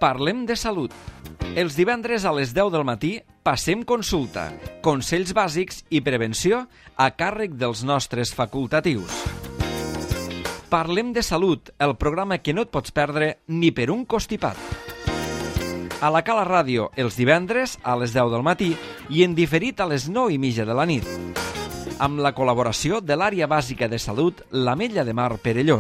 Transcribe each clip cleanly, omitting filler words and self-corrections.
Parlem de salut. Els divendres a les 10 del matí passem consulta, consells bàsics i prevenció a càrrec dels nostres facultatius. Parlem de salut, el programa que no et pots perdre ni per un costipat. A la Cala Ràdio, els divendres a les 10 del matí i en diferit a les 9:30 de la nit. Amb la col·laboració de l'Àrea Bàsica de Salut, l'Ametlla de Mar Perelló.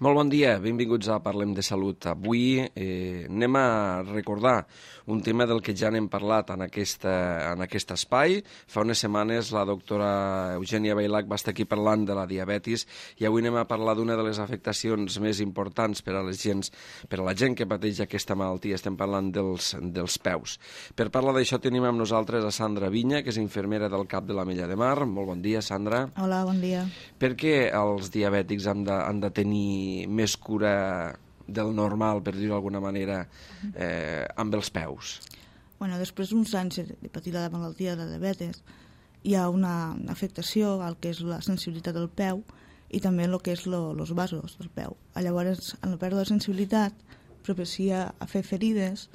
Molt bon dia, benvinguts a Parlem de Salut. Avui anem a recordar un tema del que ja n'hem parlat en aquest espai. Fa unes setmanes la doctora Eugènia Bailac va estar aquí parlant de la diabetis i avui anem a parlar d'una de les afectacions més importants per a la gent que pateix aquesta malaltia. Estem parlant dels peus. Per parlar d'això tenim amb nosaltres a Sandra Viña, que és infermera del CAP de l'Ametlla de Mar. Molt bon dia, Sandra. Hola, bon dia. Per què els diabètics han de tenir més cura del normal, per dir-ho d'alguna manera, amb els peus? Bueno, després d'uns anys de patir la malaltia de la diabetes, hi ha una afectació al que és la sensibilitat del peu i també el que és els vasos del peu. Llavors, en la pèrdua de sensibilitat, propicia a fer ferides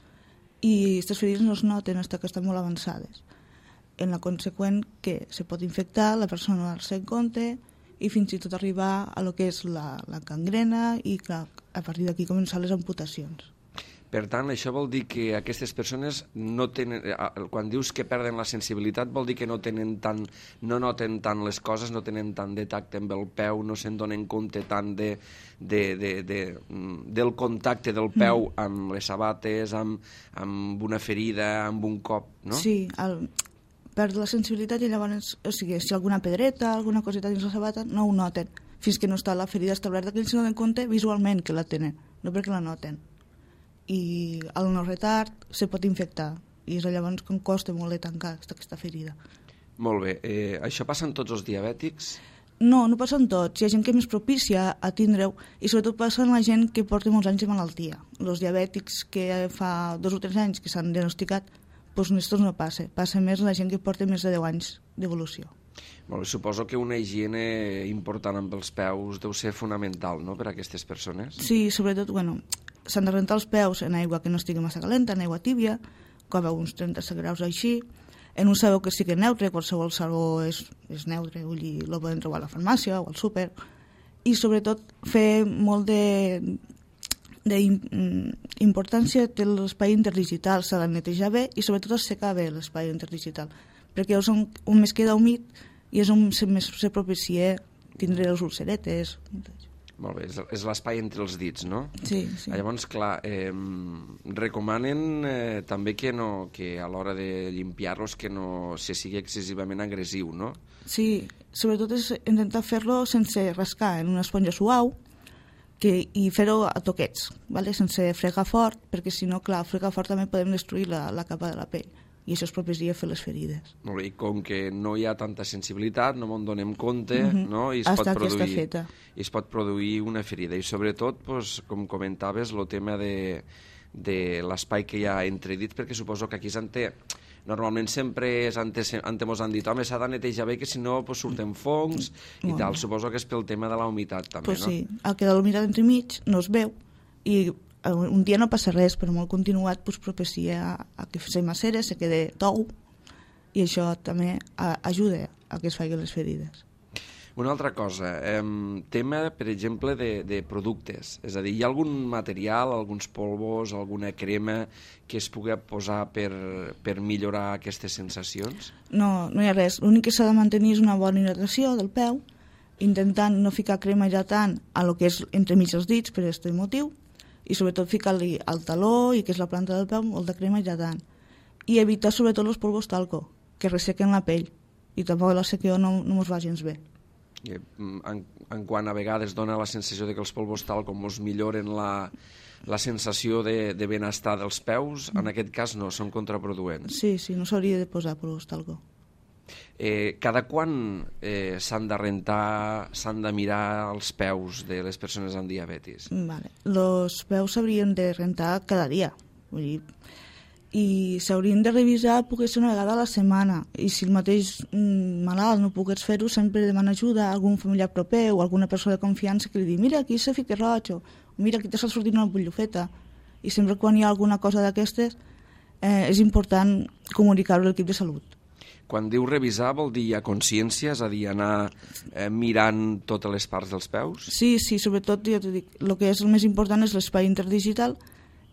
i aquestes ferides no es noten fins que estan molt avançades. En la conseqüent que se pot infectar, la persona no dar-se en compte i fins i tot arribar a lo que és la gangrena i clar, a partir d'aquí començar les amputacions. Per tant, això vol dir que aquestes persones no tenen, quan dius que perden la sensibilitat, vol dir que no noten tant les coses, no tenen tant de tacte amb el peu, no se'n donen compte tant del contacte del peu amb les sabates, amb una ferida, amb un cop, no? Sí, perd la sensibilitat i llavors, o sigui, si alguna pedreta, alguna coseta dins la sabata, no ho noten, fins que no està la ferida establerta, que ells no donen compte visualment que la tenen, no perquè la noten. I al no retard se pot infectar, i és llavors que costa molt de tancar aquesta ferida. Molt bé. Això passa en tots els diabètics? No, no passa en tots. Hi ha gent que és més propícia a tindre-ho, i sobretot passa en la gent que porta molts anys de malaltia. Els diabètics que fa 2 o 3 anys que s'han diagnosticat, doncs estos no passa. Passa més la gent que porta més de 10 anys d'evolució. Molt bé, suposo que una higiene important amb els peus deu ser fonamental, no?, per a aquestes persones. Sí, sobretot, s'han de rentar els peus en aigua que no estigui massa calenta, en aigua tíbia, com a uns 30 graus així, en un sabó que sigui neutre, qualsevol sabó és neutre, vull dir, el poden trobar a la farmàcia o al súper, i sobretot fer molt d'importància té l'espai interdigital, s'ha de netejar bé i sobretot assecar bé l'espai interdigital, perquè és on més queda humit i és on més se propicia tindre les ulceretes. Molt bé, és l'espai entre els dits, no? Sí, sí. Llavors, clar, recomanen també que a l'hora de limpiar-los que no se sigui excessivament agressiu, no? Sí, sobretot és intentar fer-lo sense rascar en una esponja suau i fer-ho a toquets, sense fregar fort, perquè si no, clar, fregar fort també podem destruir la capa de la pell i això és propicia a fer les ferides. Molt bé, i com que no hi ha tanta sensibilitat, no me'n donem compte, no? I es pot produir una ferida. I sobretot, com comentaves, el tema de l'espai que hi ha entre dits, perquè suposo que aquí normalment sempre antes mos han dit home, s'ha de netejar bé, que si no surten fongs i tal. Suposo que és pel tema de la humitat també, no? Sí, el que de la humitat entremig no es veu i un dia no passa res, però molt continuat propicia a que se macera, se quede tou i això també ajuda a que es facin les ferides. Una altra cosa, tema, per exemple, de productes. És a dir, hi ha algun material, alguns polvos, alguna crema que es pugui posar per millorar aquestes sensacions? No hi ha res. L'únic que s'ha de mantenir és una bona hidratació del peu, intentant no ficar crema hidratant a lo que és entremig els dits per aquest motiu, i sobretot ficar-li al taló i que és la planta del peu molt de crema hidratant. I evitar sobretot els polvos talco, que ressequen la pell, i tampoc la sequeó no ens va gens bé. En quant a vegades dona la sensació de que els polvos talco ens milloren la sensació de benestar dels peus, en aquest cas no, són contraproduents. Sí, no s'hauria de posar polvos talco. Cada quan s'han de rentar, s'han de mirar els peus de les persones amb diabetis? Els peus s'haurien de rentar cada dia, vull dir, i s'haurien de revisar poder ser una vegada a la setmana, i si el mateix malalt no pogués fer-ho, sempre demana ajuda a algun familiar proper o alguna persona de confiança que li digui mira, aquí s'ha ficat roig, o mira, aquí t'està sortint una bullofeta. I sempre quan hi ha alguna cosa d'aquestes és important comunicar-ho a l'equip de salut. Quan diu revisar vol dir hi ha consciència, és a dir, anar mirant totes les parts dels peus? Sí, sobretot, ja t'ho dic, el que és el més important és l'espai interdigital,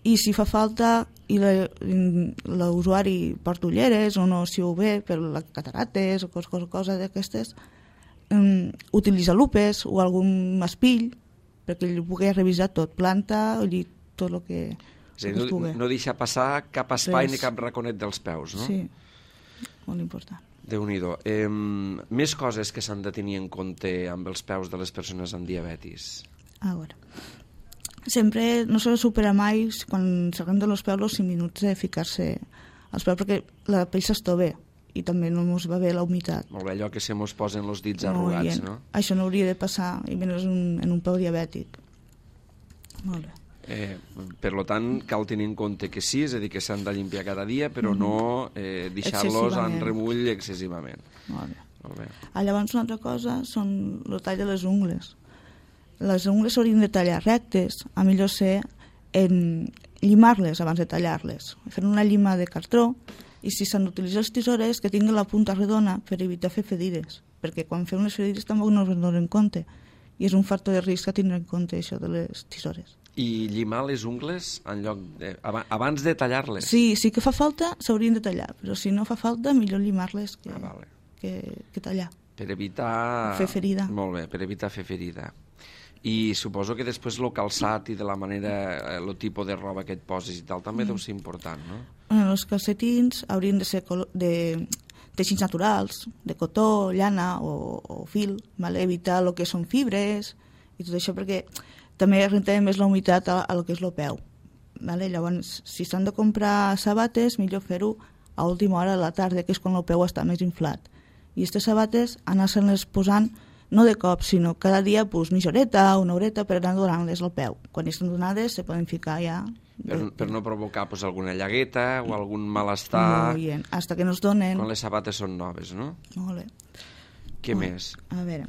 i si fa falta i l'usuari porta ulleres o no si ho ve per les catarates o cosa d'aquestes, utilitza lupes o algun espill perquè ell pugui revisar tot, planta, tot el que és a dir, no deixar passar cap espai ni cap raconet dels peus, no? Sí, molt important. Déu-n'hi-do. Més coses que s'han de tenir en compte amb els peus de les persones amb diabetis. A veure, sempre no s'ha de superar mai quan s'arrenda els peus els 5 minuts de ficar-se als peus perquè la pell s'estova i també no ens va bé la humitat. Molt bé, allò que se mos posen els dits arrugats, no? Això no hauria de passar, i menys en un peu diabètic. Molt bé. Per tant, cal tenir en compte que sí, és a dir, que s'han de limpiar cada dia, però no deixar-los en remull excessivament. Molt bé. Llavors, una altra cosa són el tall de les ungles. Les ungles s'haurien de tallar rectes, a millor ser llimar-les abans de tallar-les. Fer una llima de cartró, i si s'han d'utilitzar les tisores, que tinguin la punta redona per evitar fer ferides, perquè quan fem les ferides tampoc no es donen en compte, i és un factor de risc a tindre en compte això de les tisores. I llimar les ungles en lloc abans de tallar-les? Sí que fa falta, s'haurien de tallar, però si no fa falta, millor llimar-les que tallar. Per evitar... fer ferida. Molt bé, per evitar fer ferida. I suposo que després el calçat i de la manera, el tipus de roba que et poses i tal, també deu ser important, no? Els calcetins haurien de ser de teixits naturals, de cotó, llana o fil, evitar el que són fibres i tot això, perquè també renta més la humitat a lo que és el peu. Llavors, si s'han de comprar sabates, millor fer-ho a última hora de la tarda, que és quan el peu està més inflat. I aquestes sabates anar-se-les posant no de cop, sinó cada dia mitja horeta o una horeta per anar donant-les al peu. Quan estan donades se poden ficar ja... Per no provocar alguna llagueta o algun malestar... Molt bé, hasta que no es donen... Quan les sabates són noves, no? Molt bé. Què més? A veure,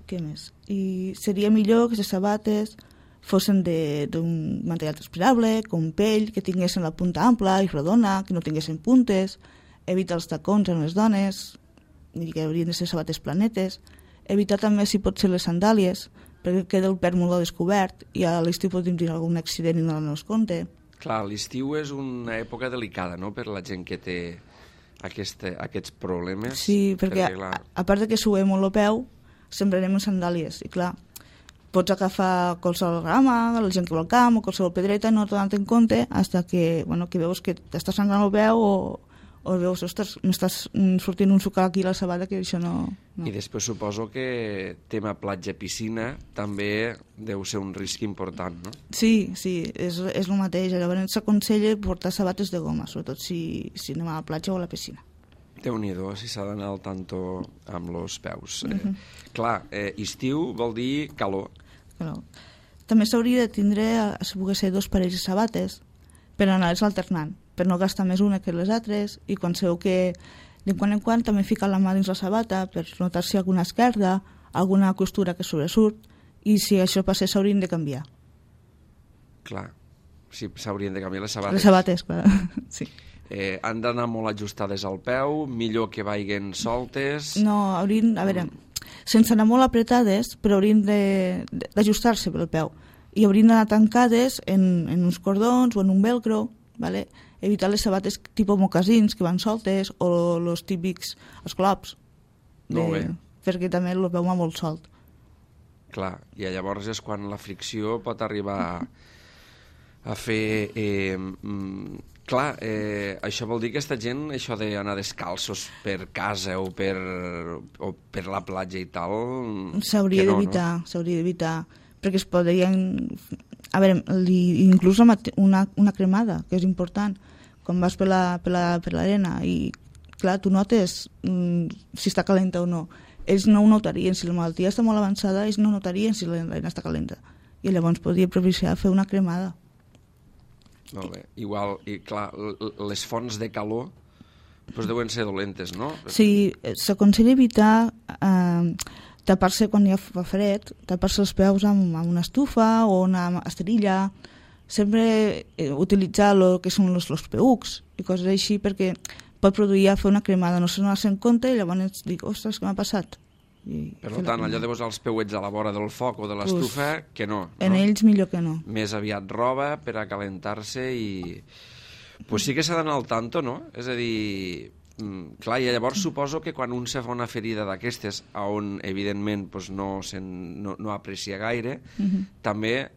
què més? I seria millor que les sabates fossin d'un material transpirable, com pell, que tinguessin la punta ampla i redona, que no tinguessin puntes, evitar els tacons en les dones, que haurien de ser sabates planetes, evitar també, si pot ser, les sandàlies, perquè queda el peu molt descobert i a l'estiu pot tenir algun accident i no es compte. Clar, l'estiu és una època delicada, no?, per la gent que té aquests problemes. Sí, perquè a part que suem molt el peu, sempre anem amb sandàlies, i clar, pots agafar qualsevol grama, la gent que va al camp o qualsevol pedreta, no t'ho donat en compte, fins que veus que t'estàs sangrant el peu o veus, ostres, m'estàs sortint un sucar aquí a la sabata, que això no... I després suposo que tema platja-piscina també deu ser un risc important, no? Sí, és el mateix. Llavors s'aconsella portar sabates de goma, sobretot si anem a la platja o a la piscina. Déu-n'hi-do, si s'ha d'anar al tanto amb els peus. Clar, estiu vol dir calor. També s'hauria de tindre, si pogués ser, 2 parells de sabates per anar-les alternant, per no gastar més una que les altres, i quan sabeu que de quan en quan també ficar la mà dins la sabata per notar si alguna esquerda, alguna costura que sobresurt, i si això passés s'haurien de canviar. Clar, sí, s'haurien de canviar les sabates. Les sabates, clar, sí. Han d'anar molt ajustades al peu, millor que vagin soltes... No, haurien, a veure, sense anar molt apretades, però haurien d'ajustar-se pel peu, i haurien d'anar tancades en uns cordons o en un velcro, ¿vale? Evitar les sabates tipus mocasins que van soltes o els típics esclops, perquè també el peu va molt solt. Clar, i llavors és quan la fricció pot arribar a fer... Clar, això vol dir que aquesta gent, això d'anar descalços per casa o per la platja i tal... S'hauria d'evitar, perquè es podrien... A veure, inclús una cremada, que és important, quan vas per l'arena i, clar, tu notes si està calenta o no. Ells no ho notarien, si la malaltia està molt avançada, ells no notarien si l'arena està calenta. I llavors podria propiciar fer una cremada. Molt bé. Igual, i clar, les fonts de calor doncs deuen ser dolentes, no? Sí, s'aconsella evitar tapar-se quan ja fa fred, tapar-se els peus amb una estufa o una esterilla, sempre utilitzar el que són els peucs i coses així, perquè pot produir fer una cremada, no se n'ha en compte i llavors dic, ostres, què m'ha passat? Per tant, allò de posar els peuets a la vora del foc o de l'estufa, que no. En ells millor que no. Més aviat roba per a calentar-se i... Pues sí que s'ha d'anar al tanto, no? És a dir, clar, i llavors suposo que quan un se fa una ferida d'aquestes, on evidentment pues, no aprecia gaire, també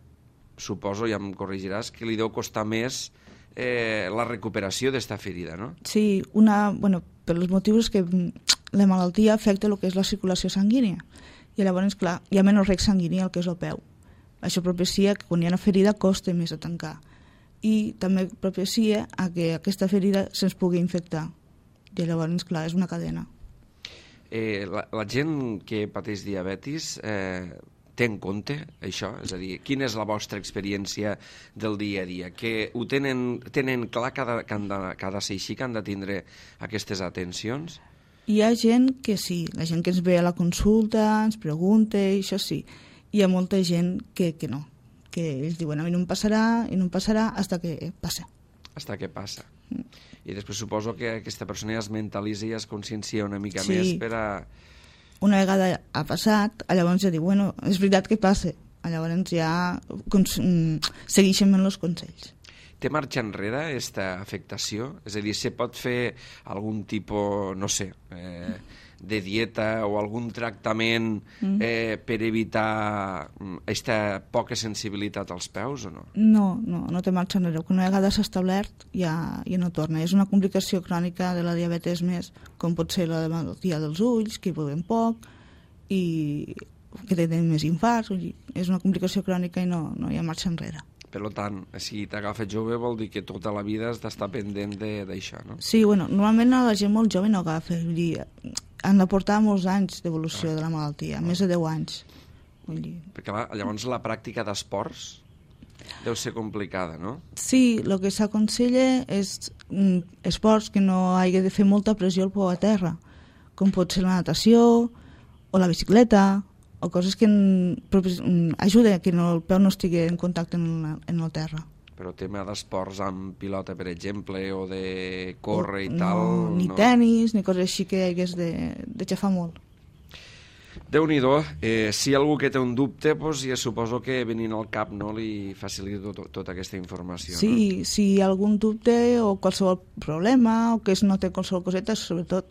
suposo, ja em corregiràs, que li deu costar més la recuperació d'esta ferida, no? Sí, per els motius que la malaltia afecta el que és la circulació sanguínia. I llavors, clar, hi ha menys rec sanguini al que és el peu. Això propicia que quan hi ha una ferida costa més a tancar. I també propicia a que aquesta ferida se'ns pugui infectar. I llavors, clar, és una cadena. La gent que pateix diabetis té en compte això? És a dir, quina és la vostra experiència del dia a dia? Que ho tenen clar que ha de ser així, que han de tindre aquestes atencions? Hi ha gent que sí, la gent que ens ve a la consulta, ens pregunta, i això sí. Hi ha molta gent que no, que ells diuen a mi no em passarà i no em passarà hasta que passa. Hasta que passa. I després suposo que aquesta persona ja es mentalitza i es consciencia una mica més per a... Una vegada ha passat, llavors ja diu, és veritat que passa. Llavors ja segueixen els consells. Té marxa enrere aquesta afectació? És a dir, se pot fer algun tipus, no sé, de dieta o algun tractament per evitar aquesta poca sensibilitat als peus o no? No té marxa enrere. Una vegada s'ha establert ja no torna. És una complicació crònica de la diabetes més, com pot ser la malaltia dels ulls, que hi veuen poc i que tenen més infarts. És una complicació crònica i no hi ha marxa enrere. Per tant, si t'agafes jove vol dir que tota la vida has d'estar pendent d'això, no? Sí, normalment la gent molt jove no agafa. Vull dir, han de portar molts anys d'evolució de la malaltia, més de 10 anys. Vull dir. Perquè llavors la pràctica d'esports deu ser complicada, no? Sí, el que s'aconsella és esports que no hagi de fer molta pressió al peu a terra, com pot ser la natació o la bicicleta, o coses que ajuden a que el peu no estigui en contacte en el terra. Però tema d'esports amb pilota, per exemple, o de córrer i tal... Ni tenis, ni coses així que hagués de xafar molt. Déu-n'hi-do. Si algú que té un dubte, ja suposo que venint al cap li facilita tota aquesta informació. Sí, no? Si hi ha algun dubte o qualsevol problema o que es note qualsevol coseta, sobretot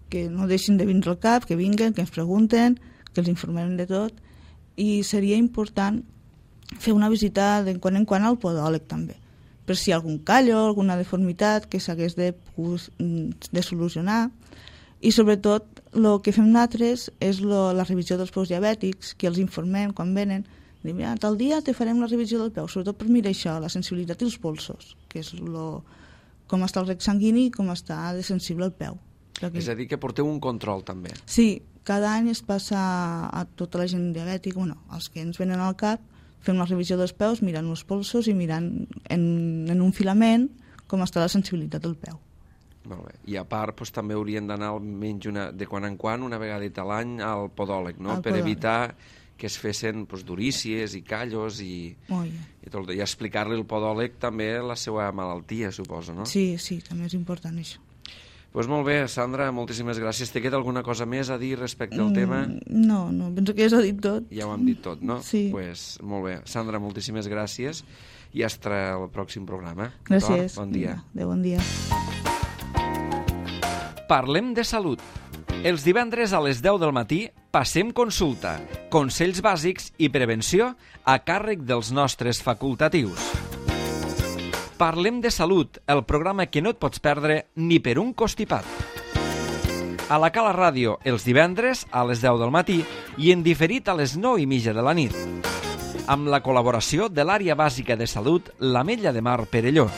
que no deixin de vindre al cap, que vinguen, que ens pregunten, que els informem de tot, i seria important fer una visita de quan en quan al podòleg també, per si hi ha algun callo, alguna deformitat que s'hagués de solucionar, i sobretot el que fem nosaltres és la revisió dels peus diabètics, que els informem quan venen, diem, tal dia te farem la revisió del peu, sobretot per mirar això, la sensibilitat i els polsos, que és com està el rec sanguini i com està de sensible el peu. És a dir, que porteu un control també. Sí, cada any es passa a tota la gent diabètica, els que ens venen al cap, fem la revisió dels peus, mirant els polsos i mirant en un filament com està la sensibilitat del peu. Molt bé. I a part també haurien d'anar almenys de quan en quan, una vegada a l'any, al podòleg, no? Per evitar que es fessin durícies i callos i explicar-li al podòleg també la seva malaltia, suposo, no? Sí, també és important això. Doncs molt bé, Sandra, moltíssimes gràcies. Te queda alguna cosa més a dir respecte al tema? No, penso que ja s'ha dit tot. Ja ho hem dit tot, no? Sí. Doncs molt bé. Sandra, moltíssimes gràcies i hasta el pròxim programa. Gràcies. Bon dia. Adéu, bon dia. Parlem de salut. Els divendres a les 10 del matí passem consulta, consells bàsics i prevenció a càrrec dels nostres facultatius. Parlem de salut, el programa que no et pots perdre ni per un costipat. A la Cala Ràdio, els divendres a les 10 del matí i en diferit a les 9:30 de la nit. Amb la col·laboració de l'Àrea Bàsica de Salut, l'Ametlla de Mar Perelló.